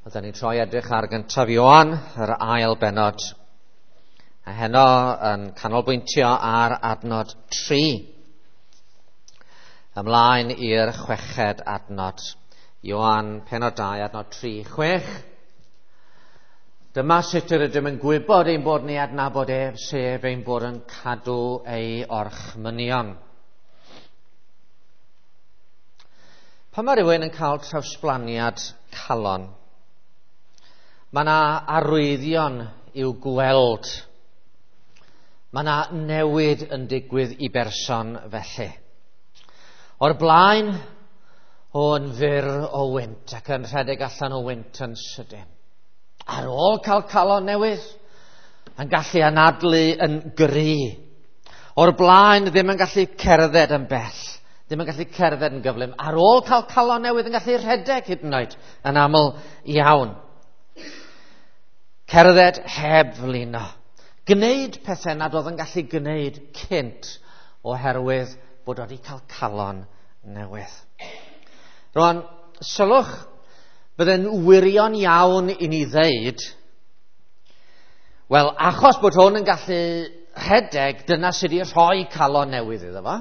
Oedden ni'n troi edrych ar gyntaf Ioan, yr ail benod. A heno yn canolbwyntio ar adnod 3. Ymlaen i'r chweched adnod. Ioan penod 2, adnod 3, 6. Dyma sut yr ydym yn gwybod ein bod ni adnabod ef, sef ein bod yn cadw ei orchmynion. Pan mae rhywun yn cael trawsblaniad calon, mae yna arwyddion i'w gweld. Mae yna newid yn digwydd i berson felly. O'r blaen, o'n fyr o wynt ac yn rhedeg allan o wynt yn sydyn. Ar ôl cael calon newydd, yn gallu anadlu yn gry. O'r blaen, ddim yn gallu cerdded yn bell, ddim yn gallu cerdded yn gyflym. Ar ôl cael calon newydd, yn gallu rhedeg hyd yn oed yn aml iawn. Cerdded heb flino. Gwneud pethau nad oedd yn gallu gwneud cynt oherwydd bod wedi cael calon newydd. Rwan, sylwch, bydde'n wirion iawn i ni ddeud, wel, achos bod hwn yn gallu rhedeg, dyna sydd wedi rhoi calon newydd iddo fo.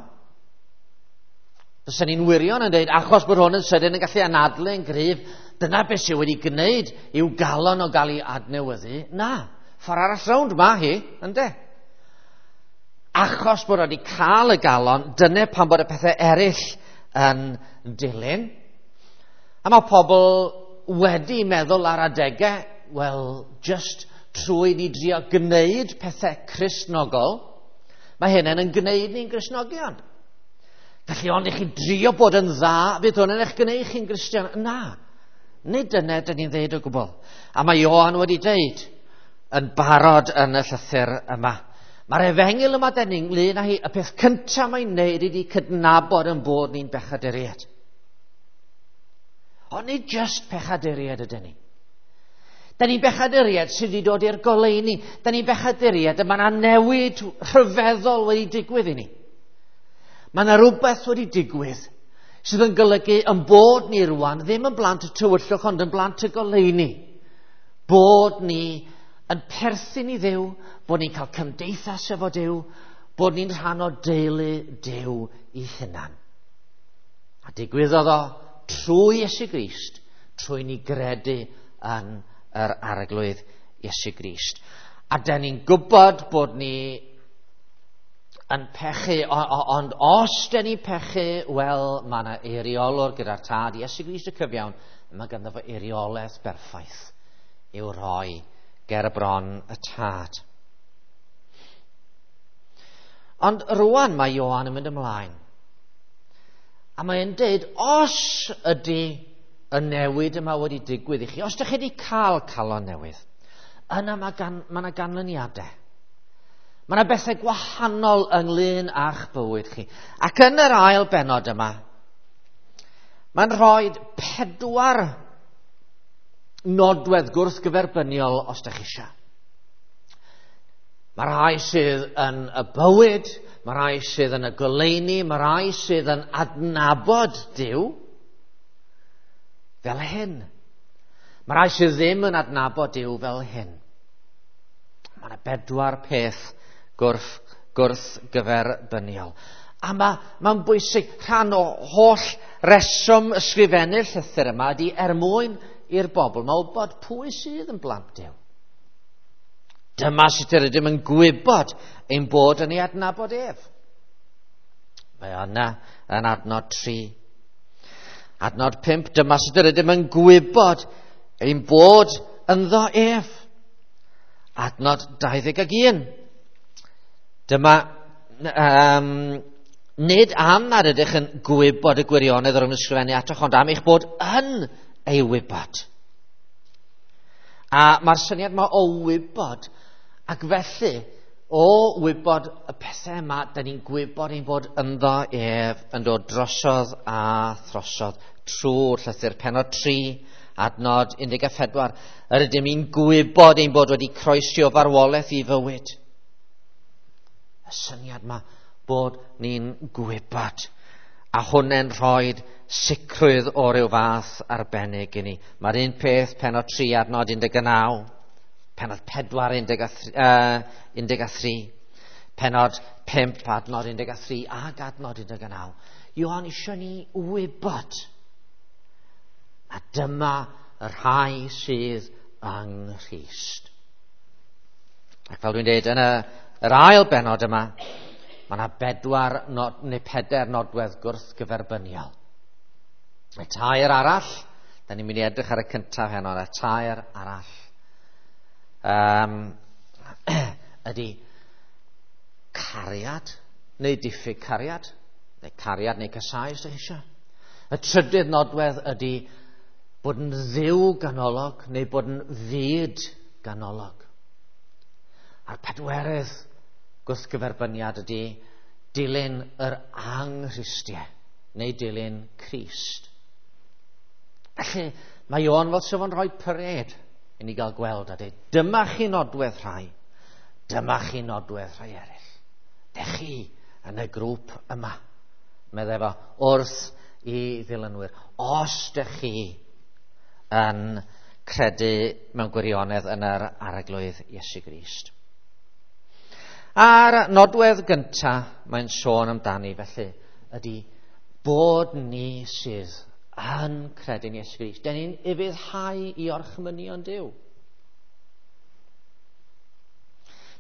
Fysen ni'n wirion yn dweud, achos bod hwn yn sydyn yn gallu anadlu yn gryf, dyna beth sydd wedi gwneud i'w galon o gael ei adnewyddu. Na, ffordd arall rownd ma hi, ynde? Achos bod wedi cael y galon, dyna pan bod y pethau eraill yn dilyn. A mae pobl wedi meddwl ar adegau, wel, just trwy ni drio gwneud pethau Cristnogol, mae hynny'n yn gwneud ni'n Gristnogion. Felly ond i chi drio bod yn dda, fydd hwn yn eich gwneud chi'n Gristion. Na, nid dyna dyn ni'n ddeud o gwbl. A mae Ioan wedi deud yn barod yn y llythyr yma. Mae'r efengyl yma dyn ni'n ynglyn â hi, y peth cyntaf mae'n neud ydy cydnabod yn bod ni'n bechaduriaid. Ond nid just pechaduriaid ydyn ni. Da ni'n bechaduriaid sydd wedi dod i'r goleuni. Da ni'n bechaduriaid y mae yna newid rhyfeddol wedi digwydd i ni. Mae yna rhywbeth wedi digwydd sydd yn golygu yn bod ni rwan ddim yn blant y tywyllwch ond yn blant y goleuni. Bod ni yn perthyn i Dduw, bod ni'n cael cymdeithas efo Duw, bod ni'n rhan o deulu Duw i hunan. A digwyddodd o trwy Iesu Grist, trwy ni gredu yn yr Arglwydd Iesu Grist. A da ni'n gwybod bod ni yn pechu, ond os da ni'n pechu, wel, mae yna eiriolwr gyda'r Tad, Iesu Grist y cyfiawn, mae ganddo fo eiriolaeth berffaith i'w rhoi ger y bron y Tad. Ond rwan mae Ioan yn mynd ymlaen. A mae'n deud, os ydy y newid yma wedi digwydd i chi, os ydych chi wedi cael calon newydd, yna mae yna ganlyniadau. Mae yna bethau gwahanol ynglyn â'ch bywyd chi. Ac yn yr ail benod yma, mae'n rhoi 4 nodwedd gwrthgyferbyniol os ydych chi eisiau. Mae rhai sydd yn y bywyd, mae rhai sydd yn y goleuni, mae rhai sydd yn adnabod Duw fel hyn. Mae rhai sydd ddim yn adnabod Duw fel hyn. Mae yna 4 peth gwrthgyferbyniol. A mae'n bwysig, rhan o holl reswm ysgrifennu'r llythyr yma ydy er mwyn i'r bobl mae wybod pwy sydd yn blant Duw. Dyma sut yr ydym yn gwybod ein bod yn ei adnabod ef. Mae yna yn adnod 3. Adnod 5, dyma sut yr ydym yn gwybod ein bod ynddo ef. Adnod 21. Dyma, nid am nad ydych yn gwybod y gwirionedd o'r ysgrifennu atoch, ond am eich bod yn ei wybod. A mae'r syniad yma o wybod, ac felly, o wybod y pethau yma, da ni'n gwybod ein bod ynddo ef yn dod drosodd a throsodd trwy'r llythyr penod 3, adnod 14. Yr ydym ni'n gwybod ein bod wedi croesi o farwolaeth i fywyd. Y syniad yma bod ni'n gwybod. A hwnna'n rhoi sicrwydd o ryw fath arbennig i ni. Mae'r un peth pennod 3 adnod 19, pennod 4 13, pennod 5 adnod 13 ac adnod 19. Ioan eisiau ni wybod. A dyma y rhai sydd yng Nghrist. Ac fel dwi'n dweud, yn yr ail bennod yma, mae yna 4 neu 4 nodwedd gwrthgyferbyniol. Y 3 arall, da ni'n mynd i edrych ar y cyntaf heno, y 3 arall ydy cariad neu diffyg cariad, neu cariad neu casau os ydych chi eisiau. Y trydydd nodwedd ydy bod yn ddiw ganolog neu bod yn fyd ganolog. A'r pedwerydd gwrthgyferbyniad ydy dilyn yr anghristiau neu dilyn Crist. Felly mae Ioan fel sef o'n rhoi parêd i ni gael gweld a dweud, dyma chi nodwedd rhai, dyma chi nodwedd rhai eraill. Dech chi yn y grŵp yma, meddai fo, wrth i ddilynwyr. Os dech chi yn credu mewn gwirionedd yn yr Arglwydd Iesu Grist. A'r nodwedd gyntaf mae'n sôn amdani felly ydy bod ni sydd yn credu'n Iesu Grist. Den ni'n ufuddhau i orchmynion Duw.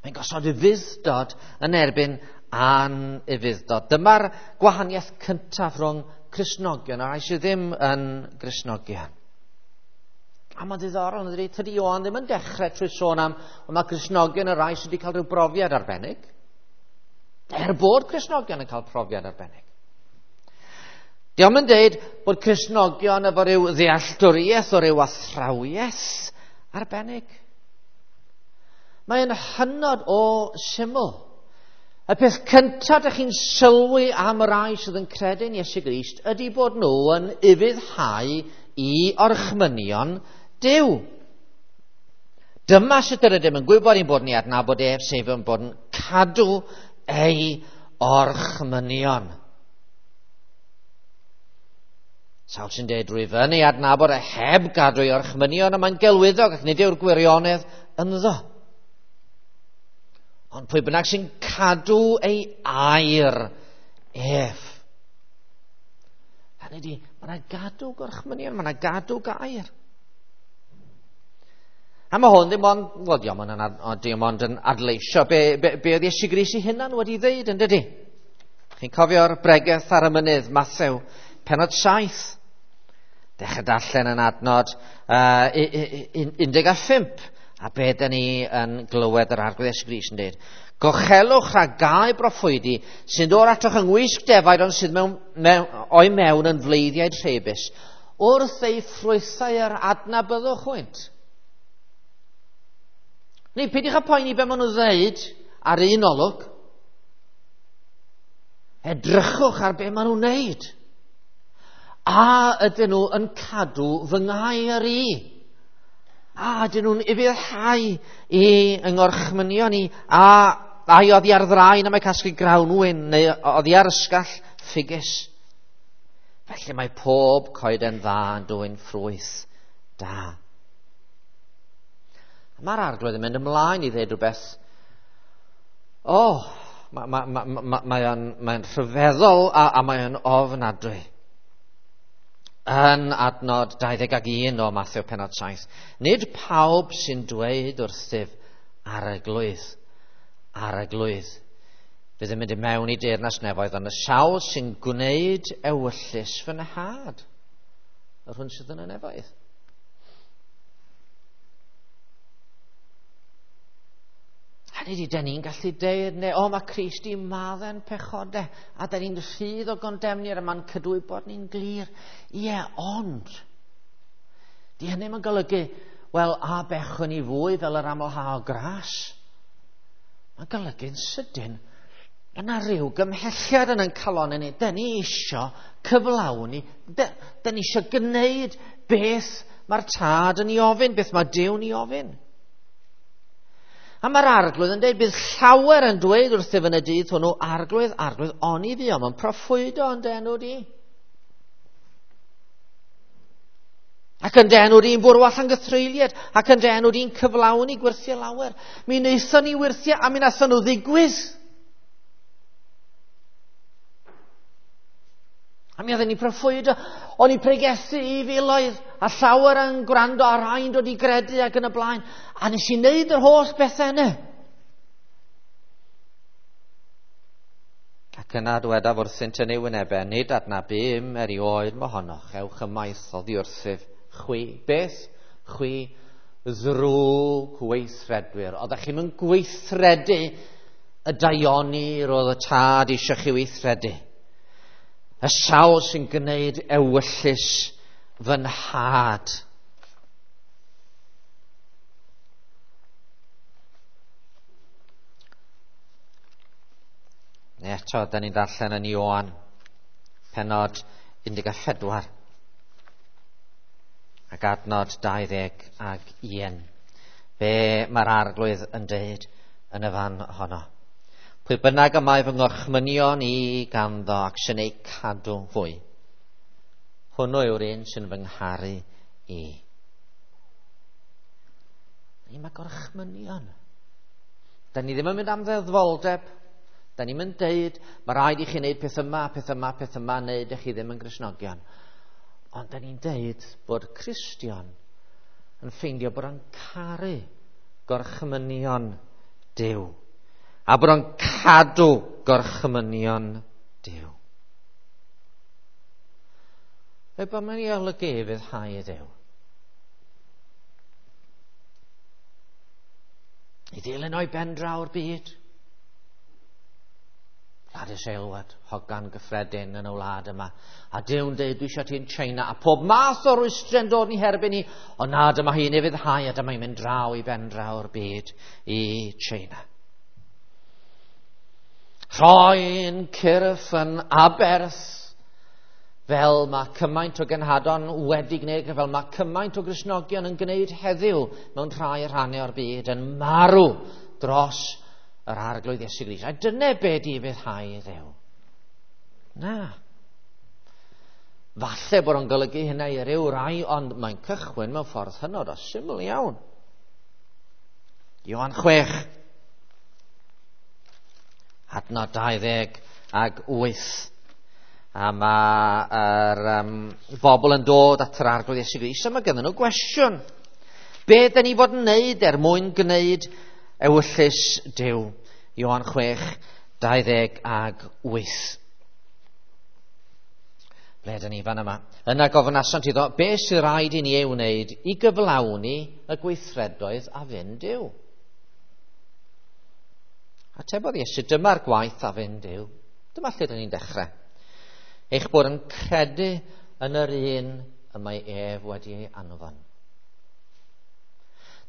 Mae'n gosod ufudd-dod yn erbyn anufudd-dod. Dyma'r gwahaniaeth cyntaf rhwng Cristnogion a rhai sydd ddim yn Gristnogion. A mae'n ddiddorol, yn dydi? Tydi Ioan ddim yn dechrau trwy sôn am, ond mae Cristnogion y rhai sydd wedi cael rhyw brofiad arbennig. Er bod Cristnogion yn cael profiad arbennig. Dio'm yn deud bod Cristnogion efo rhyw ddealltwriaeth o ryw athrawiaeth arbennig. Mae'n hynod o syml. Y peth cyntaf ydych chi'n sylwi am y rhai sydd yn credu'n Iesu Grist ydy bod nhw yn ufuddhau i orchmynion Duw. Dyma sut yr ydym yn gwybod ein bod ni adnabod ef, sef yn bod yn cadw ei orchmynion. Sawl sy'n dweud rwyf yn ei adnabod a heb gadw ei orchmynion, a mae'n gelwyddog ac nid yw'r gwirionedd ynddo. Ond pwy bynnag sy'n cadw ei air ef. Hynny ydi, mae yna gadw gorchmynion, mae yna gadw gair. A mae hwn ddim ond, wel, dim ond yn adleisio be oedd Iesu Grist ei hunan wedi ddeud, yn dydi? Chi'n cofio'r bregeth ar y mynydd, Mathew, pennod 7. Dechrau darllen yn adnod 15. A be dyn ni yn glywed yr Arglwydd Iesu Grist yn dweud? Gochelwch rhag gau broffwydi sy'n dod atoch yng ngwisg defaid ond sydd o'i mewn yn fleiddiaid rheibus. Wrth ei ffrwythau yr adnabyddwch hwynt. Neu peidiwch â poeni be maen nhw'n ddeud ar un olwg. Edrychwch ar be maen nhw'n wneud. A ydyn nhw yn cadw fy ngair i? A ydyn nhw'n ufuddhau i yngorchmynion i? A ai oddi ar ddraen am eu casglu grawnwin neu oddi ar ysgall ffigus? Felly mae pob coeden dda yn dwyn ffrwyth da. A mae'r Arglwydd yn mynd ymlaen i ddweud rhywbeth. Mae'n rhyfeddol a mae'n ofnadwy. Yn adnod 21 o Mathew pennod 7. Nid pawb sy'n dweud wrthyf Arglwydd, Arglwydd, fydd yn mynd i mewn i deyrnas nefoedd, ond y sawl sy'n gwneud ewyllys fy nhad, yr hwn sydd yn y nefoedd. Hynny ydi, da ni'n gallu deud, neu, mae Crist i maddau'n pechodau, a da ni'n rhydd o gondemniad, a mae'n cydwybod ni'n glir. Ie, ond, di hynny mae'n golygu, wel, a bechwn ni fwy fel yr amlha o gras. Mae'n golygu'n sydyn, yna rhyw gymhelliad yn ein calon ni. Da ni isio cyflawni, da ni isio gwneud beth mae'r Tad yn ei ofyn, beth mae Duw'n ei ofyn. A mae'r Arglwydd yn dweud, bydd llawer yn dweud wrthyf yn y dydd hwnnw, Arglwydd, Arglwydd, oni fuom yn proffwydo yn dy enw di. Ac yn dy enw di'n bwrw allan gythreuliad, ac yn dy enw di'n cyflawni gwyrthiau lawer. Mi wnaethon ni wyrthiau a mi wnaethon nhw ddigwydd. A mi oedden ni proffwydo, o'n i pregethu i filoedd, a llawer yn gwrando a rhai'n dod i gredu ac yn y blaen. A nes i wneud yr holl bethau yna. Ac yna dwedaf wrthynt yn ei wynebau, nid adnabum erioed mohonoch, ewch ymaith oddi wrthyf chwi. Beth? Chwi ddrwg weithredwyr. Oeddech chi'n mynd gweithredu y daioni roedd y tad eisiau chi weithredu. Y sawl sy'n gwneud ewyllys fy nhad. Neu eto, da ni'n darllen yn Ioan, penod 14, ac adnod 21. Be mae'r arglwydd yn deud yn y fan honno? Pwy bynnag y mae fy ngorchmynion i ganddo ac sy'n eu cadw hwy, hwnnw yw'r un sy'n fy ngharu i. Ni mae gorchmynion. Da ni ddim yn mynd am ddeddfoldeb. Da ni'n mynd deud, mae rhaid i chi wneud peth yma, peth yma, peth yma, neu ydych chi ddim yn Gristnogion. Ond da ni'n deud bod Cristion yn ffeindio bod o'n caru gorchmynion Duw. A bod o'n cadw gorchmynion Duw. Fe bod mae'n ei olygu i fyddhau i Dduw. I ddilyn o'i ben draw'r byd. Gladys Aylward, hogan gyffredin yn y wlad yma. A Duw'n deud, dwi eisiau ti yn China, a pob math o rwystre'n dod ni herbyn ni, ond na, dyma hi'n ufuddhau, a dyma hi'n mynd draw i ben draw'r byd i China. Rhoi'n cyrff yn aberth, fel mae cymaint o genhadon wedi gwneud, fel mae cymaint o Gristnogion yn gwneud heddiw mewn rhai rhannau o'r byd, yn marw dros yr Arglwydd Iesu Grist. A dyna be di ufuddhau i Dduw. Na. Falle bod o'n golygu hynna i ryw rai, ond mae'n cychwyn mewn ffordd hynod o syml iawn. Ioan 6, adnod 28. A mae'r bobl yn dod at yr Arglwydd Iesu Grist, a mae ganddyn nhw gwestiwn. Be dyn ni fod yn wneud er mwyn gwneud ewyllys Duw? Ioan 6, 28. Ble dyn ni fan yma? Yna gofynasant iddo, be sydd rhaid i ni ei wneud i gyflawni y gweithredoedd a fyn Duw? Atebodd Iesu, dyma'r gwaith a fyn Duw. Dyma lle dyn ni'n dechrau. Eich bod yn credu yn yr un y mae ef wedi ei anfon.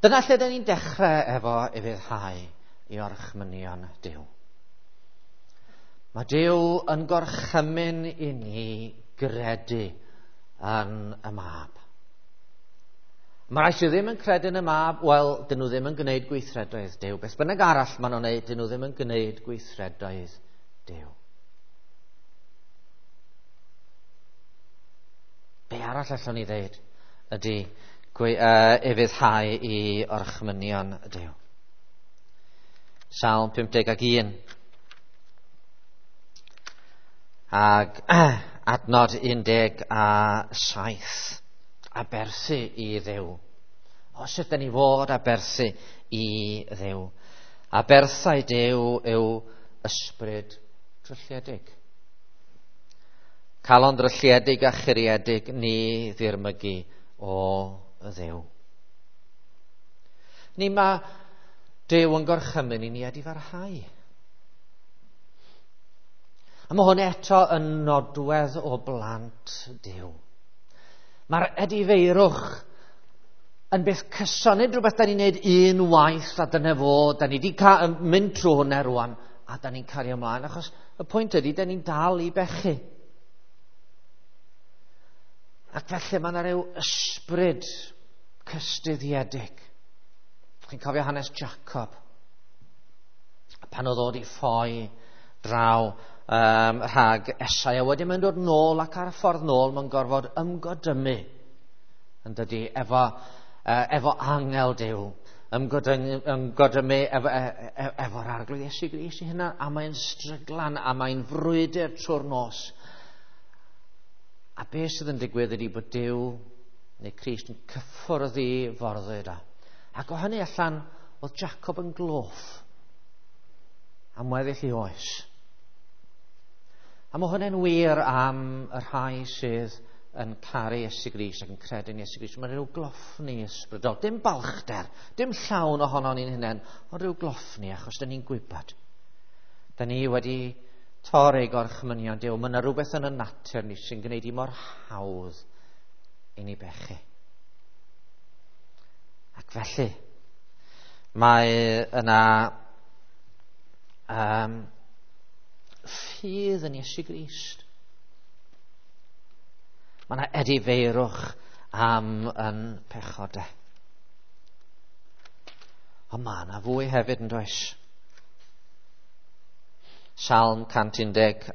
Dyna lle dyn ni'n dechrau efo ufuddhau i orchmynion Duw. Mae Duw yn gorchymyn i ni gredu yn y mab. Mae rhai sydd ddim yn credu yn y mab, wel, dyn nhw ddim yn gwneud gweithredoedd Duw. Beth bynnag arall maen nhw'n gwneud, dyn nhw ddim yn gwneud gweithredoedd Duw. Be arall allwn ni ddeud ydy ufuddhau i orchmynion Duw. Salm 51. Ag adnod 17. Aberthu i Dduw. O, sut dyn ni fod aberthu i Dduw? Aberthau Duw yw ysbryd drylliedig. Calon drylliedig a churiedig ni ddirmygu o Dduw. Ni mae Duw yn gorchymyn i ni edifarhau. A mae hwn eto yn nodwedd o blant Duw. Mae'r edifeirwch yn beth cyson, nid rhywbeth da ni'n neud un waith a dyna fo, da ni wedi mynd trwy hwnna rwan, a da ni'n cario ymlaen, achos y pwynt ydy, da ni'n dal i bechu. Ac felly mae yna rhyw ysbryd cystuddiedig. Chi'n cofio hanes Jacob, pan oedd o wedi ffoi draw rhag Esau, a wedyn mae'n dod nôl, ac ar y ffordd nôl mae'n gorfod ymgodymu Yn dydy, efo angel Duw, ymgodymu efo'r Arglwydd Iesu Grist i hynna, a mae'n stryglan, a mae'n frwydr trwy'r nos. A beth sydd yn digwydd ydy bod Duw neu Crist yn cyffwrdd i forddwyd o. Ac o hynny allan, oedd Jacob yn gloff am weddill ei oes. A mae hwnna'n wir am y rhai sydd yn caru Iesu Grist ac yn credu yn Iesu Grist. Mae'n rhyw gloffni ysbrydol. Dim balchder, dim llawn ohono ni'n hunain, ond rhyw gloffni achos dyn ni'n gwybod. Dyn ni wedi torri gorchmynion Duw. Mae yna rhywbeth yn y natur ni sy'n gwneud i mor hawdd i ni bechu. Ac felly, mae yna ffydd yn Iesu Grist. Mae yna edifeirwch am yn pechodau. Ond mae yna fwy hefyd yn does. Salm 119.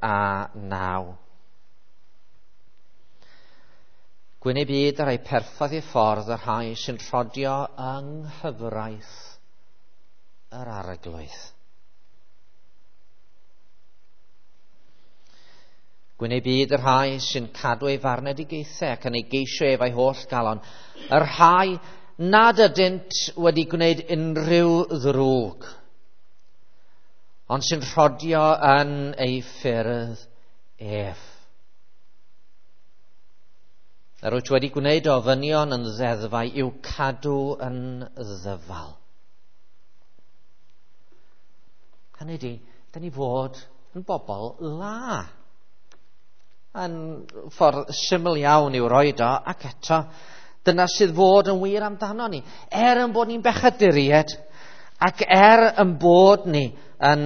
Gwyn ei byd ar ei perffaith ei ffordd y rhai sy'n rhodio yng nghyfraith yr Arglwydd. Gwyn ei byd y rhai sy'n cadw ei farnedigaethau ac yn ei geisio ef a'i holl galon. Y rhai nad ydynt wedi gwneud unrhyw ddrwg, ond sy'n rhodio yn ei ffyrdd ef. Yr wyt wedi gwneud ofynion yn ddeddfau i'w cadw yn ddyfal. Hynny ydy, da ni fod yn bobl dda. Yn ffordd syml iawn i'w roed o, ac eto, dyna sydd fod yn wir amdano ni. Er yn bod ni'n bechaduriaid, ac er yn bod ni yn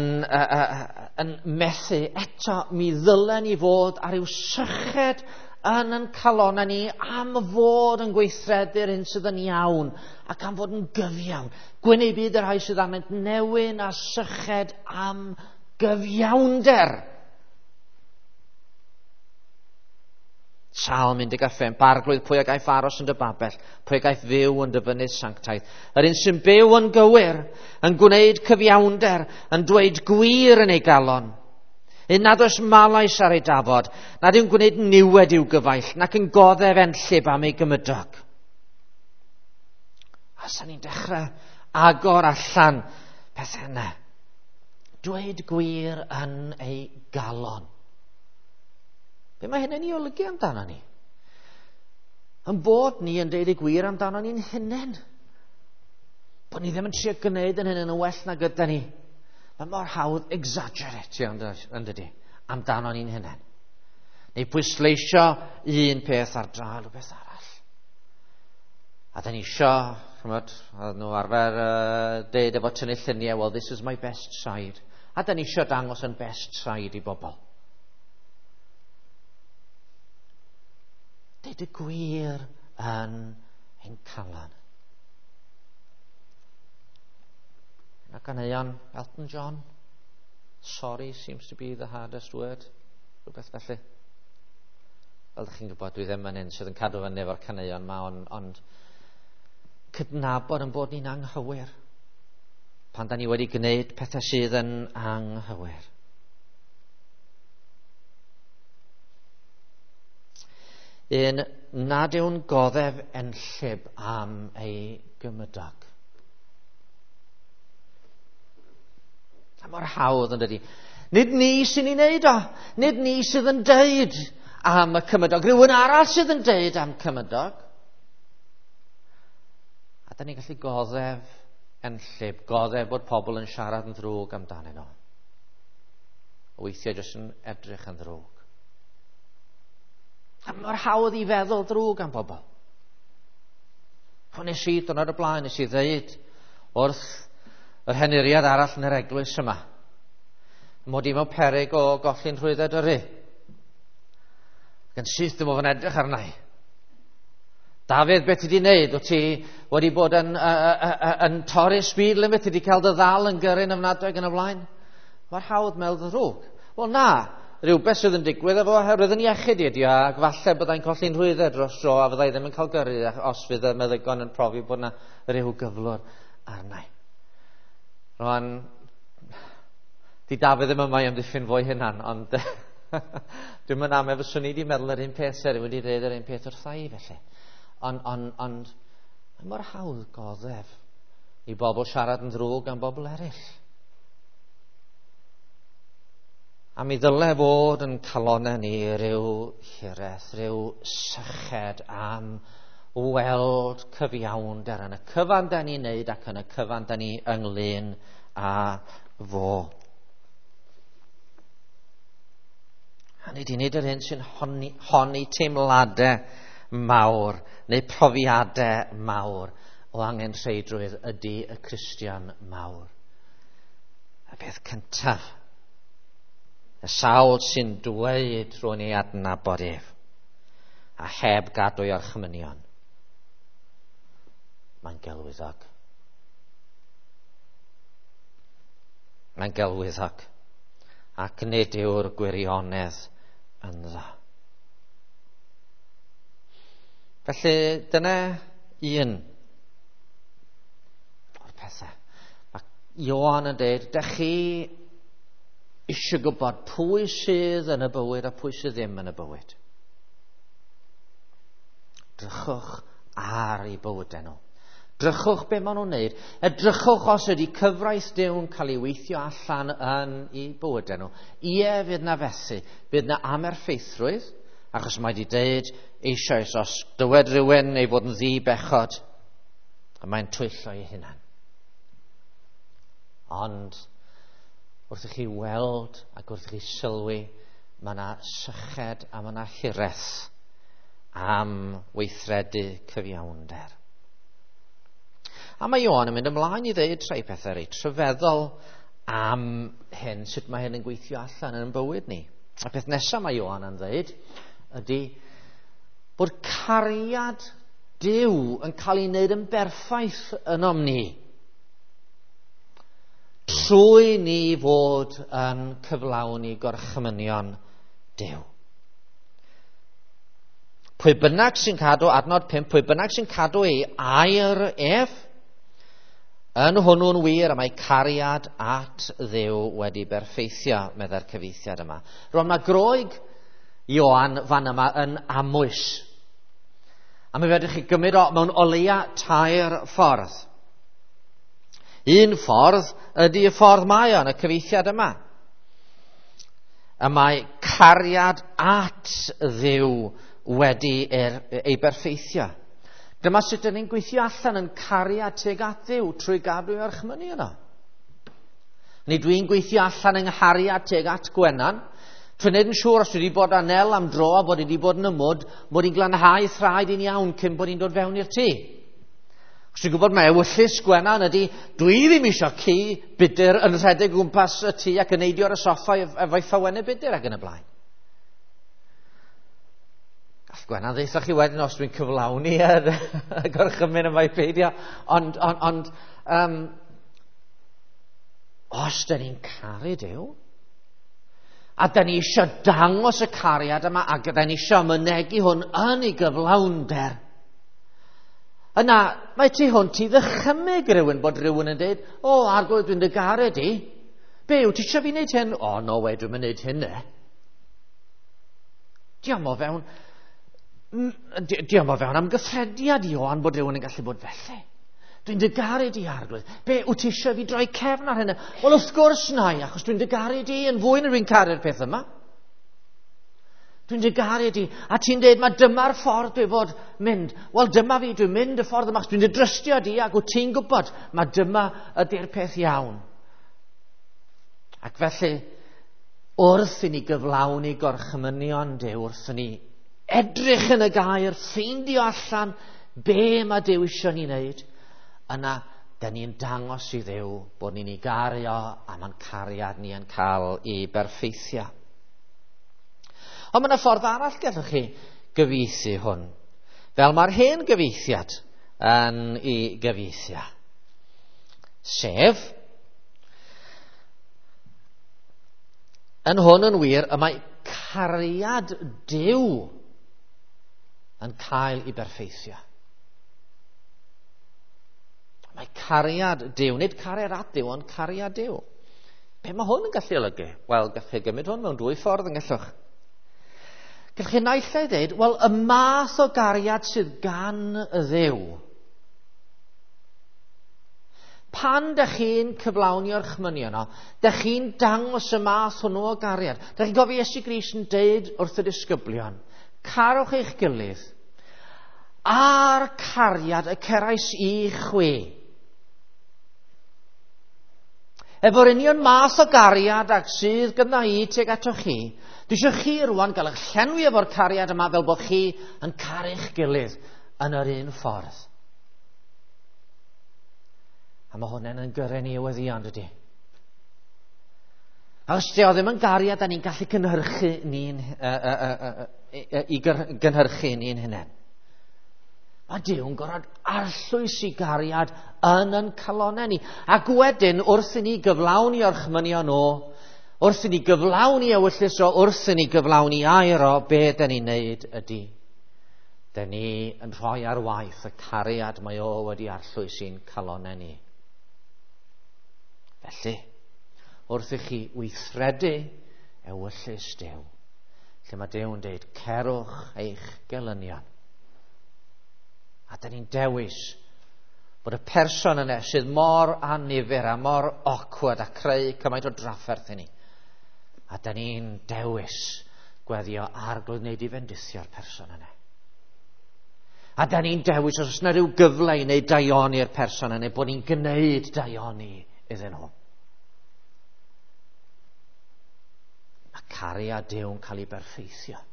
methu, eto mi ddylen ni fod ar ryw syched yn ein calonnau ni am fod yn gweithredu'r hyn sydd yn iawn ac am fod yn gyfiawn. Gwyn ei byd y rhai sydd arnynt newyn a syched am gyfiawnder. Salm 15, Arglwydd, pwy a gaiff aros yn dy babell, pwy a gaiff fyw yn dy fynydd sanctaidd. Yr un sy'n byw yn gywir, yn gwneud cyfiawnder, yn dweud gwir yn ei galon. Un nad oes malais ar ei dafod, nad yw'n gwneud niwed i'w gyfaill, nac yn goddef enllib am ei gymydog. A sa'n ni'n dechrau agor allan pethau yna. Dweud gwir yn ei galon. Be mae hynny'n ei olygu amdano ni? Yn bod ni yn deud y gwir amdano ni'n hunain. Bod ni ddim yn trio gwneud yn hynny'n well na gyda ni. Mae mor hawdd exaggerate yn dydy, amdano ni'n hunain. Neu pwysleisio un peth ar draul rhywbeth arall. A da ni isio, chymod, oedd nhw arfer deud efo tynnu lluniau, well, this is my best side. A da ni isio dangos yn best side i bobl. Deud y gwir yn ein calon. Yna ganeuon Elton John. Sorry seems to be the hardest word. Rhywbeth felly. Fel ydych chi'n gwybod, dwi ddim yn un sydd yn cadw fyny efo'r caneuon yma, ond cydnabod yn bod ni'n anghywir. Pan da ni wedi gwneud pethau sydd yn anghywir. Un nad yw'n goddef enllib am ei gymydog. A mor hawdd yn dydy. Nid ni sy'n ei wneud o. Nid ni sydd yn deud am y cymydog. Rhywun arall sydd yn deud am cymydog. A da ni'n gallu goddef enllib, goddef bod pobl yn siarad yn ddrwg amdanyn nhw. Weithiau jyst yn edrych yn ddrwg. A mor hawdd i feddwl drwg am bobl. Nes i, diwrnod y blaen, nes i ddeud wrth yr henuriad arall yn yr eglwys yma, mod i mewn peryg o golli'n rhwydded yrru. Ac yn syth dim oedd yn edrych arna i. Dafydd, beth ti wedi wneud? Wyt ti wedi bod yn torri speed limit? Ti wedi cael dy ddal yn gyrru'n ofnadwy yn y blaen? Mae'r hawdd meddwl ddrwg. Wel na, rhywbeth sydd yn digwydd efo oherwydd yn iechyd i ydi o, ac falle byddai'n colli'n rhwyddau dros dro a fyddai ddim yn cael gyrru os fydd y meddygon yn profi bod yna rhyw gyflwr arnau. Rwan, di Dafydd ddim yma i amddiffyn fo'i hunan, ond dwi'n mynd am efo swn i wedi meddwl yr un peth ser wedi dweud yr un peth wrtha i felly. Ond, ond, ond, mae mor hawdd goddef i bobl siarad yn ddrwg am bobl eraill. A mi ddyle fod yn calonau ni rhyw hiraeth, rhyw syched am weld cyfiawnder yn y cyfan da ni'n neud ac yn y cyfan da ni ynglyn â fo. A nid i wneud yr hyn sy'n honni, honni teimladau mawr neu profiadau mawr o angen rheidrwydd ydy y Cristion mawr. Y peth cyntaf, y sawl sy'n dweud rwy'n ei adnabod ef, a heb gadw ei orchmynion, mae'n gelwyddog. Mae'n gelwyddog. Ac nid yw'r gwirionedd ynddo. Felly dyna un o'r pethau. Mae Ioan yn dweud, dych chi eisiau gwybod pwy sydd yn y bywyd a pwy sydd ddim yn y bywyd. Drychwch ar eu bywydau nhw. Drychwch be maen nhw'n wneud. Edrychwch os ydy cyfraith Duw'n cael ei weithio allan yn eu bywydau nhw. Ie, fydd na fethu. Fydd na amerffeithrwydd, achos mae wedi dweud eisoes os dywed rhywun ei fod yn ddi-bechod, a mae'n twyllo ei hunan. Ond wrth i chi weld ac wrth i chi sylwi, mae yna syched a mae yna hiraeth am weithredu cyfiawnder. A mae Ioan yn mynd ymlaen i ddeud rhai pethau reit rhyfeddol am hyn, sut mae hyn yn gweithio allan yn bywyd ni. A peth nesaf mae Ioan yn ddeud ydy bod cariad Duw yn cael ei wneud yn berffaith ynom ni trwy ni fod yn cyflawni gorchmynion Duw. Pwy bynnag sy'n cadw, adnod 5, pwy bynnag sy'n cadw ei air ef, yn hwnnw'n wir, a mae cariad at Dduw wedi berffeithio, meddai'r cyfieithiad yma. Rwan mae Groeg Ioan fan yma yn amwys. A mi fedrwch chi gymryd o mewn o leia tair ffordd. Un ffordd ydy y ffordd mae o yn y cyfieithiad yma. Y mae cariad at Dduw wedi ei berffeithio. Dyma sut dyn ni'n gweithio allan yn cariad tuag at Dduw trwy gadw ei orchmynion yno. Nid dwi'n gweithio allan yng nghariad tuag at Gwenan, trwy wneud yn siŵr os dwi wedi bod â Nel am dro a bod wedi bod yn y mwd, mod i'n glanhau thraed i'n iawn cyn bod i'n dod fewn i'r tŷ. Os dwi'n gwybod mae ewyllys Gwenan ydy, dwi ddim eisiau ci budur yn rhedeg o gwmpas y tŷ ac yn neidio ar y soffa efo'i ffawennau budur ac yn y blaen. Gall Gwenan ddeutha chi wedyn os dwi'n cyflawni y gorchymyn yma i peidio, ond, ond, ond um, os dyn ni'n caru Duw, a dyn ni eisiau dangos y cariad yma, ac dyn ni eisiau mynegi hwn yn ei gyflawnder, yna mae tu hwnt i ddychymyg rhywun bod rhywun yn dweud, o, arglwydd, dwi'n dy garu di. Be, wyt ti eisiau fi wneud hyn? O, no way, dwi'n mynd hyn e. Diolch o fewn, diolch o fewn amgyffrediad Ioan bod rhywun yn gallu bod felly. Dwi'n dy garu di, arglwydd. Be, wyt ti eisiau fi droi cefn ar hynny? Wel, wrth gwrs na i, achos dwi'n dy garu di yn fwy na dwi'n caru'r peth yma. Dwi'n dy garu di. A ti'n dweud, mae dyma'r ffordd dwi fod mynd. Wel, dyma fi, dwi'n mynd y ffordd yma, achos dwi'n dy drystio di, ac wyt ti'n gwybod, mae dyma ydy'r peth iawn. Ac felly, wrth i ni gyflawni gorchmynion Duw, wrth i ni edrych yn y gair, ffeindio allan be mae Duw eisiau ni wneud, yna, da ni'n dangos i Dduw bod ni'n ei garu o a mae'n cariad ni yn cael ei berffeithio. Ond mae yna ffordd arall gallwch chi gyfieithu hwn. Fel mae'r hen gyfieithiad yn ei gyfieithio. Sef, Yn hwn yn wir, y mae cariad Duw yn cael ei berffeithio. Mae cariad Duw, nid cariad at Duw, ond cariad Duw. Be mae hwn yn gallu olygu? Wel, gallwch chi gymryd hwn mewn dwy ffordd yn gallwch. Gallwch chi naill ai ddeud, wel, y math o gariad sydd gan y Dduw. Pan dych chi'n cyflawni orchmynion o, dych chi'n dangos y math hwnnw o gariad. Dych chi'n gofio Iesu Grist yn deud wrth y disgyblion, carwch eich gilydd, a'r cariad y cerais i chwi. Efo'r union math o gariad ag sydd gyda i tuag atoch chi, dwi eisiau chi rwan gael eich llenwi efo'r cariad yma fel bod chi yn caru'ch gilydd yn yr un ffordd. A mae hwnna'n yn gyrru ni i weddion, dydy. A os di o ddim yn gariad, da ni'n gallu cynhyrchu ni'n, i gynhyrchu ni'n hunain. Mae Duw'n gorfod arllwys i gariad yn yn calonau ni. Ac wedyn, wrth i ni gyflawni orchmynion o, wrth i ni gyflawni ewyllys o, wrth i ni gyflawni air o, be da ni'n neud ydy, da ni yn rhoi ar waith y cariad mae o wedi arllwys i'n calonau ni. Felly, wrth i chi weithredu ewyllys Duw, lle mae Duw'n deud, cerwch eich gelynion. A da ni'n dewis bod y person yna sydd mor annifyr a mor awkward a creu cymaint o drafferth i ni. A da ni'n dewis gweddio Arglwydd wneud i fendithio'r person yna. A da ni'n dewis os oes yna rhyw gyfle i wneud daioni i'r person yna, bod ni'n gwneud daioni iddyn nhw. Mae cariad Duw'n cael ei berffeithio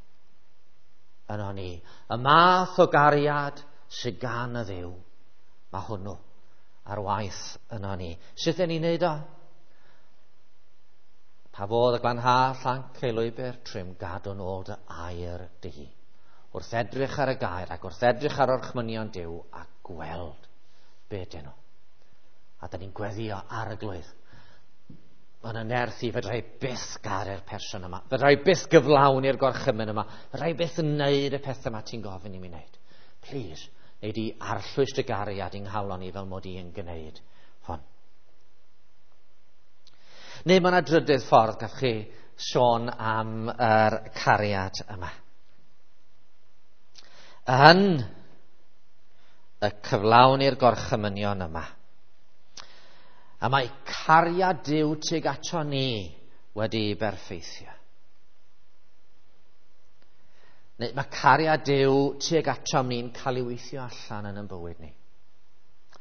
yno ni. Y math o gariad sydd gan y Dduw, mae hwnnw ar waith yno ni. Sut ydyn ni'n neud o? Pa fodd y glanha llanc ei lwybr, trym gadw'n ôl dy air di. Wrth edrych ar y gair ac wrth edrych ar orchmynion Duw a gweld be dyn nhw. A da ni'n gweddio Arglwydd. Mae yna nerth i fedra i byth garu'r person yma. Fedra i byth gyflawni'r gorchymyn yma. Fedra i byth wneud y peth yma ti'n gofyn i mi wneud. Please, wneud i arllwys dy gariad i'n nghalon i fel mod i yn gwneud hon. Neu mae yna drydydd ffordd gallwch chi sôn am yr cariad yma. Yn y cyflawni'r gorchymynion yma. A mae cariad Duw tuag ato ni wedi berffeithio. Neu mae cariad Duw tuag ato ni'n cael ei weithio allan yn ein bywyd ni.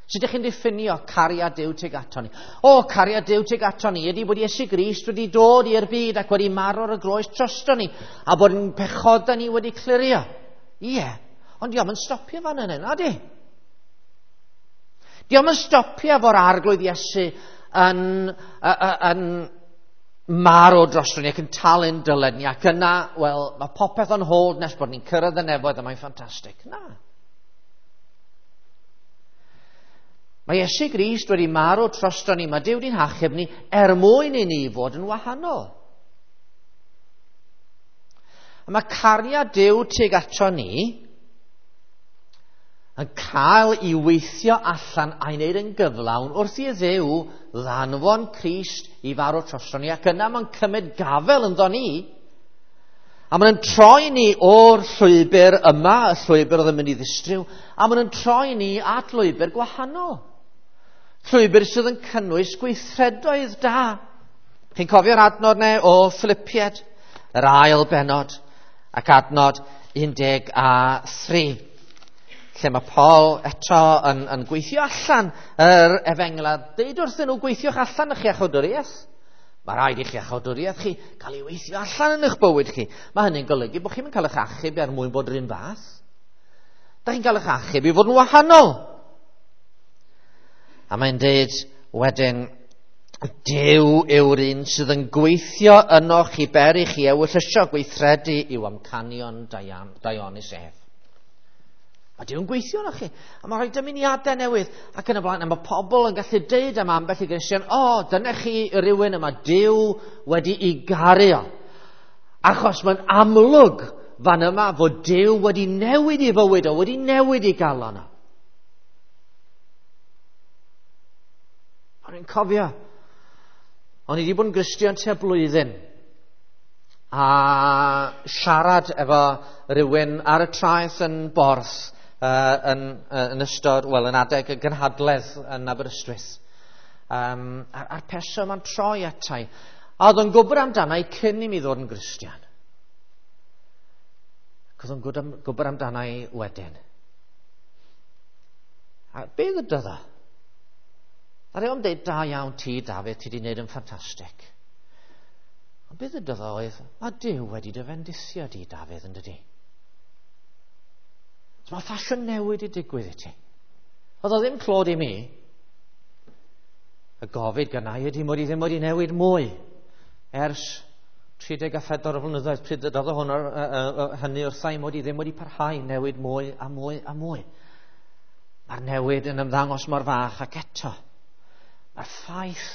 Sut ydych chi'n diffinio cariad Duw tuag ato ni? O, cariad Duw tuag ato ni ydy bod Iesu Grist wedi dod i'r byd ac wedi marw ar y groes drosto ni, a bod yn pechodau ni wedi clirio. Ie, ond dio'm yn stopio fan yna, na di? Dio'm yn stopio efo'r Arglwydd Iesu yn marw drosto ni ac yn talu'n dyled ni, ac yna, wel, mae popeth on hold nes bod ni'n cyrraedd y nefoedd a mae'n ffantastig. Na. Mae Iesu Grist wedi marw drosto ni, mae Duw wedi'n hachub ni er mwyn i ni fod yn wahanol. A mae cariad Duw tuag ato ni yn cael ei weithio allan a'i wneud yn gyflawn wrth i Dduw ddanfon Crist i farw drosto ni, ac yna mae'n cymryd gafel ynddo ni, a mae'n troi ni o'r llwybr yma, y llwybr oedd yn mynd i ddistryw, a mae'n troi ni at lwybr gwahanol. Llwybr sydd yn cynnwys gweithredoedd da. Chi'n cofio'r adnod neu o Philippiaid, yr ail bennod, ac adnod 13, lle mae Paul eto yn gweithio allan yr efengyl a deud wrthyn nhw, gweithiwch allan eich iachawdwriaeth. Mae rhaid i'ch iachawdwriaeth chi cael ei weithio allan yn eich bywyd chi. Mae hynny'n golygu bod chi'n cael eich achub er mwyn bod yr un fath. Da chi'n cael eich achub i fod yn wahanol. A mae'n deud wedyn, Duw yw'r un sydd yn gweithio ynoch chi ber i chi ewyllysio gweithredu i'w amcanion daionus ef. Mae Duw'n gweithio arnoch chi. A mae'n rhoi dymuniadau newydd ac yn y blaen. A mae pobl yn gallu deud am ambell i Gristion, o, dyna chi rywun yma Duw wedi'i garu o. Achos mae'n amlwg fan yma fod Duw wedi newid ei fywyd o, wedi newid ei galon o. O'n i'n cofio, o'n i wedi bod yn Gristion tua blwyddyn, a siarad efo rhywun ar y traeth yn Borth yn ystod, wel, yn adeg y gynhadledd yn Aberystwyth. A'r person ma'n troi atai. A oedd o'n gwybod amdana i cyn i mi ddod yn Gristion. Ac oedd o'n gwybod amdana i wedyn. A be ddydodd o? A rhaid o'n dweud, da iawn ti, Dafydd, ti wedi gwneud yn ffantastig. Ond be ddydodd o oedd, mae Duw wedi dy fendithio di, Dafydd, yn dydi? So mae ffasiwn newid i digwydd i ti. Oedd o ddim clod i mi. Y gofid gyna i ydy mod i ddim wedi newid mwy ers 34 o flynyddoedd pryd ddydodd o hwn hynny wrtha i mod i ddim wedi parhau newid mwy a mwy a mwy. Mae'r newid yn ymddangos mor fach ac eto. Mae'r ffaith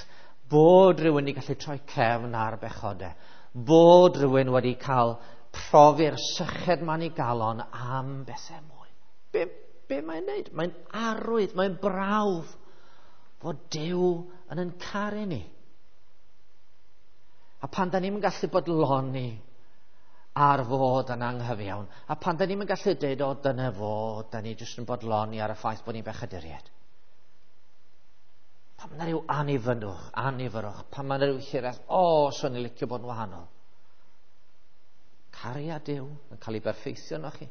bod rhywun wedi gallu troi cefn ar bechodau, bod rhywun wedi cael profi'r syched ma'n ei galon am bethau mwy. Be mae'n neud? Mae'n arwydd, mae'n brawf fod Duw yn caru ni. A pan da ni'n gallu bodloni ar fod yn anghyfiawn, a pan da ni'n gallu deud, o, dyna fo, da ni jyst yn bodloni ar y ffaith bod ni'n bechaduriaid. Pan mae yna rhyw anifyrwch, pan mae yna rhyw hiraeth, o, swn i'n licio bod yn wahanol. Cariad Duw yn cael ei berffeithio yno chi.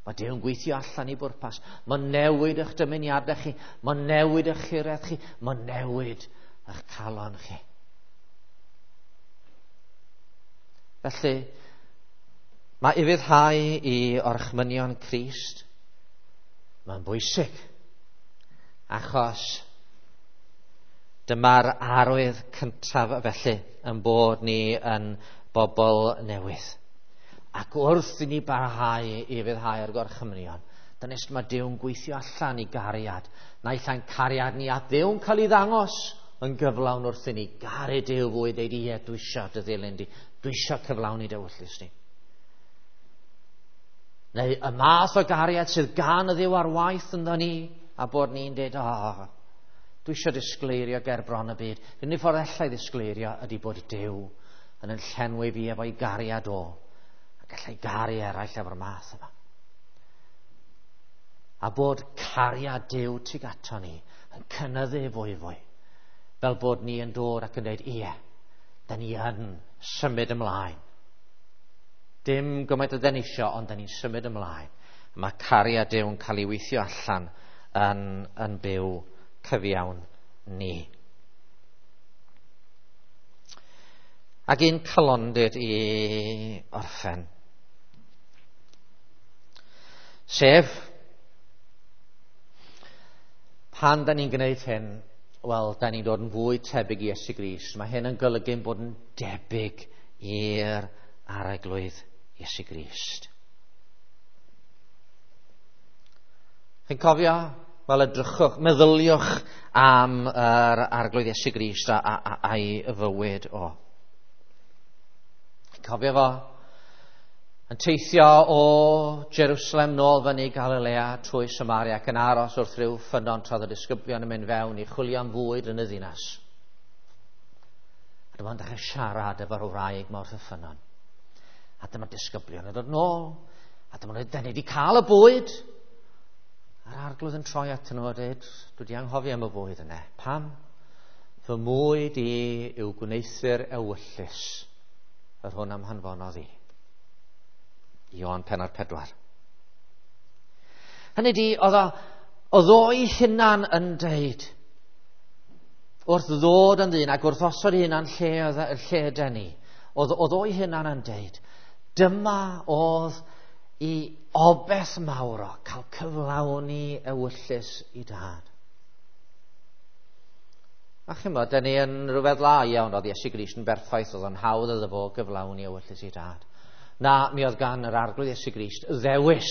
Mae Duw yn gweithio allan i bwrpas. Mae'n newid eich dymuniadau chi, mae'n newid eich hiraeth chi, mae'n newid eich calon chi. Felly, mae ufuddhau i orchmynion Crist, mae'n bwysig, achos dyma'r arwydd cyntaf felly yn bod ni yn bobl newydd. Ac wrth i ni barhau i ufuddhau ar gorchmynion, dyna sut mae Duw'n gweithio allan i gariad. Naill ai'n cariad ni at Dduw'n cael ei ddangos yn gyflawn wrth i ni garu Duw fwy, deud ie, dwi isio dy ddilyn di, dwi isio cyflawni dy ewyllys di. Neu y math o gariad sydd gan y Dduw ar waith ynddo ni, a bod ni'n deud, o, dwi isio disgleirio ger bron y byd. Yr unig ffordd allai ddisgleirio ydy bod Duw yn yn llenwi fi efo'i gariad o, a gallai garu eraill efo'r math yma. A bod cariad Duw tuag ato ni yn cynyddu fwy fwy, fel bod ni yn dod ac yn dweud, ie, da ni yn symud ymlaen. Dim gymaint o dyn ni isio, ond da ni'n symud ymlaen. Mae cariad Duw yn cael ei weithio allan yn byw cyfiawn ni. Ac un calondid i orffen. Sef, pan da ni'n gwneud hyn, wel, da ni'n dod yn fwy tebyg i Iesu Grist. Mae hyn yn golygu bod yn debyg i'r Arglwydd Iesu Grist. Chi'n cofio? Wel, edrychwch, meddyliwch am yr Arglwydd Iesu Grist a'i fywyd o. Chi'n cofio fo? Yn teithio o Jerusalem nôl fyny Galilea trwy Samaria ac yn aros wrth ryw ffynnon tra oedd y disgyblion yn mynd fewn i chwilio am fwyd yn y ddinas. A dyma'n dechrau siarad efo'r wraig mawr wrth y ffynnon. A dyma'r disgyblion yn dod nôl. A dyma'n dweud, da ni wedi cael y bwyd. A'r Arglwydd yn troi atyn nhw a dweud, dwi wedi anghofio am y bwyd yna. Pam? Fy mwyd i yw gwneuthur ewyllys yr hwn am hanfonodd i. Ioan pennod 4. Hynny di, oedd o'i hunan yn deud, wrth ddod yn ddyn ac wrth osod ei hunan lle yden ni, oedd o'i hunan yn deud, dyma oedd i obeth mawr o cael cyflawni ewyllys i dad. A chimod, da ni yn rhywbeth la iawn, oedd Iesu Grist yn berffaith, oedd o'n hawdd iddo fo gyflawni ewyllys i dad. Na, mi oedd gan yr Arglwydd Iesu Grist ddewis.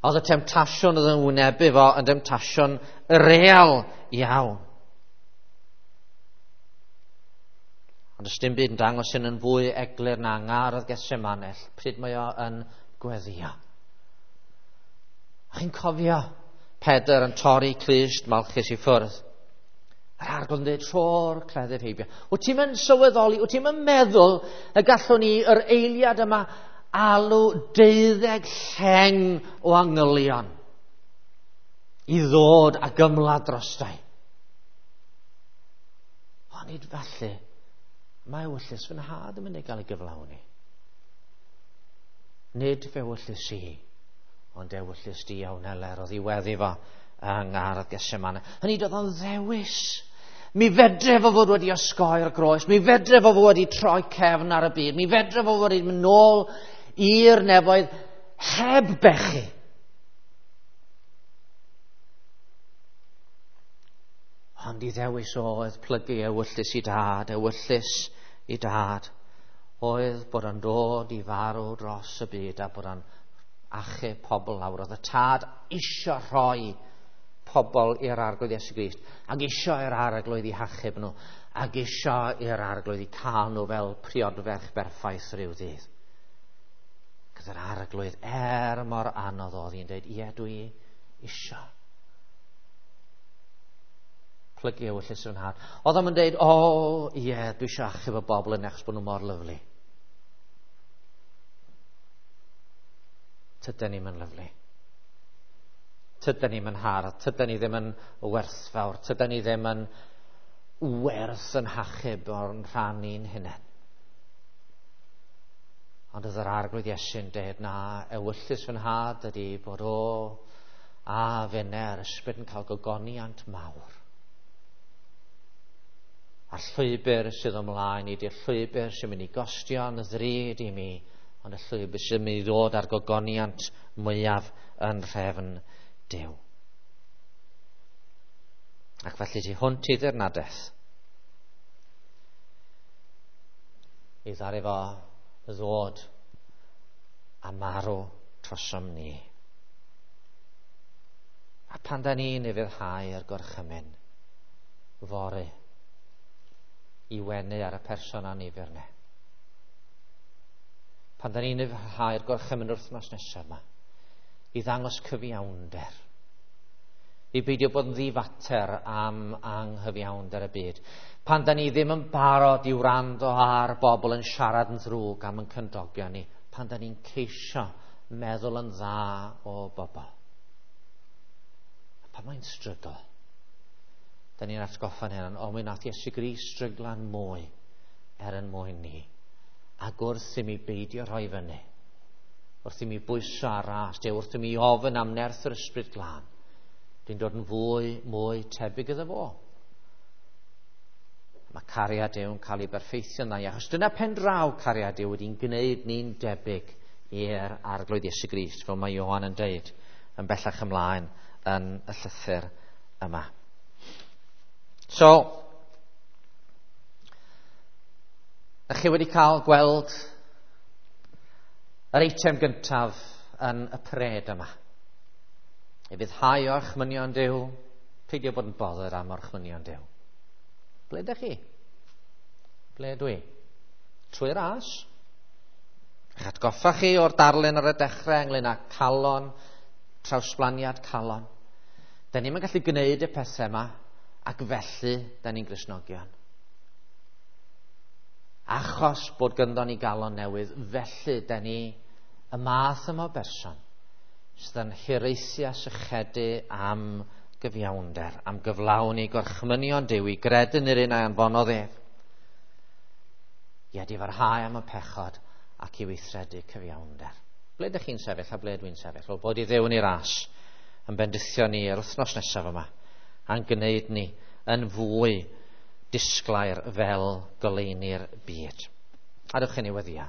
Oedd y temtasiwn oedd yn wynebu fo yn demtasiwn real iawn. Ond ys dim byd yn dangos hyn yn fwy eglur na ngardd Gethsemane, pryd mae o yn gweddio. A chi'n cofio Pedr yn torri clust Malchus i ffwrdd. Yr arglwydd yn dweud, tro'r cleddyf heibio. Wyt ti'n mynd sylweddoli, wyt ti'n mynd meddwl y gallwn ni yr eiliad yma alw 12 lleng o angylion i ddod a gymlad drostai. Ond nid felly, mae ewyllys fy nhad yn mynd i gael ei gyflawni. Nid fe ewyllys i, ond ewyllys di iawn eler o ddiweddu fo yng ngardd Gethsemane. Hynny doedd o'n ddewis. Mi fedre fo fod wedi osgoi'r groes, mi fedre fo fod wedi troi cefn ar y byd, mi fedre fo fod wedi mynd nôl i'r nefoedd heb bechu. Ond i ddewis oedd plygu ewyllys i dad, ewyllys i dad, oedd bod o'n dod i farw dros y byd a bod o'n achub pobl lawr. Oedd y tad isio rhoi pobl i'r Arglwydd Iesu Grist, ac isio i'r Arglwydd i hachub nhw, ac isio i'r Arglwydd i cael nhw fel priodferch berffaith rhyw ddydd. Gyda'r Arglwydd, er mor anodd oedd hi'n dweud, ie, dwi isio plygu ewyllys fy nhad. Oedd o'n dweud, o, ie, dwi isio achub y bobl yn achos bod nhw mor lyfli. Tydyn ni'm yn lyfli. Tydyn ni'm yn hardd, tydyn ni ddim yn werthfawr, tydyn ni ddim yn werth yn hachub o'r rhan ni'n hunain. Ond oedd yr Arglwydd Iesu'n dweud, na, ewyllys fy nhad ydy bod o a finne a'r ysbryd yn cael gogoniant mawr. A'r llwybr sydd ymlaen i di'r llwybr sy'n mynd i gostio'n ddrud i mi, ond y llwybr sy'n mynd i ddod ar gogoniant mwyaf yn rhefn Duw. Ac felly tu hwnt i ddirnadaeth, i ddaru fo ddod a marw trosom ni. A pan da ni'n ufuddhau ar gorchymyn, fory, i wenu ar y person annifyr ne. Pan da ni'n ufuddhau'r gorchymyn wythnos nesaf yma, i ddangos cyfiawnder, i beidio bod yn ddifater am anghyfiawnder y byd. Pan da ni ddim yn barod i wrando ar bobl yn siarad yn ddrwg am yn cymdogion ni, pan da ni'n ceisio meddwl yn dda o bobl. A pan mae'n strygl, da ni'n atgoffa'n hynny, o, mi nath Iesu Grist stryglan mwy er yn mwyn ni. Ac wrth i mi beidio rhoi fyny, wrth i mi bwyso ar ras, wrth i mi ofyn am nerth yr Ysbryd Glân, dwi'n dod yn fwy, mwy tebyg iddo fo. Mae cariad Duw yn cael ei berffeithio'n dda, achos dyna pen draw cariad Duw wedi'n gwneud ni'n debyg i'r Arglwydd Iesu Grist, fel mae Ioan yn deud yn bellach ymlaen yn y llythyr yma. So, ydych chi wedi cael gweld yr eitem gyntaf yn y pred yma. I fyddhau orchmynion Duw, peidio bod yn bothered am orchmynion Duw. Ble ydych chi? Ble ydw i? Trwy ras. Eich atgoffa chi o'r darlun ar y dechrau ynglyn â calon, trawsblaniad calon. Da ni'm yn gallu gwneud y pethau yma, ac felly da ni'n Gristnogion. Achos bod gynddo ni galon newydd, felly da ni y math yma o berson sydd yn hiraethu a sychedu am gyfiawnder, am gyflawni gorchmynion Duw i gredu yn yr un a anfonodd ef, i edifarhau am y pechod ac i weithredu cyfiawnder. Ble ydych chi'n sefyll a ble dwi'n sefyll? Wel, bod i Dduw yn ei ras yn bendithio ni yr wythnos nesaf yma, a'n gwneud ni yn fwy disglair fel goleuni'r byd. A dewch i ni weddïo.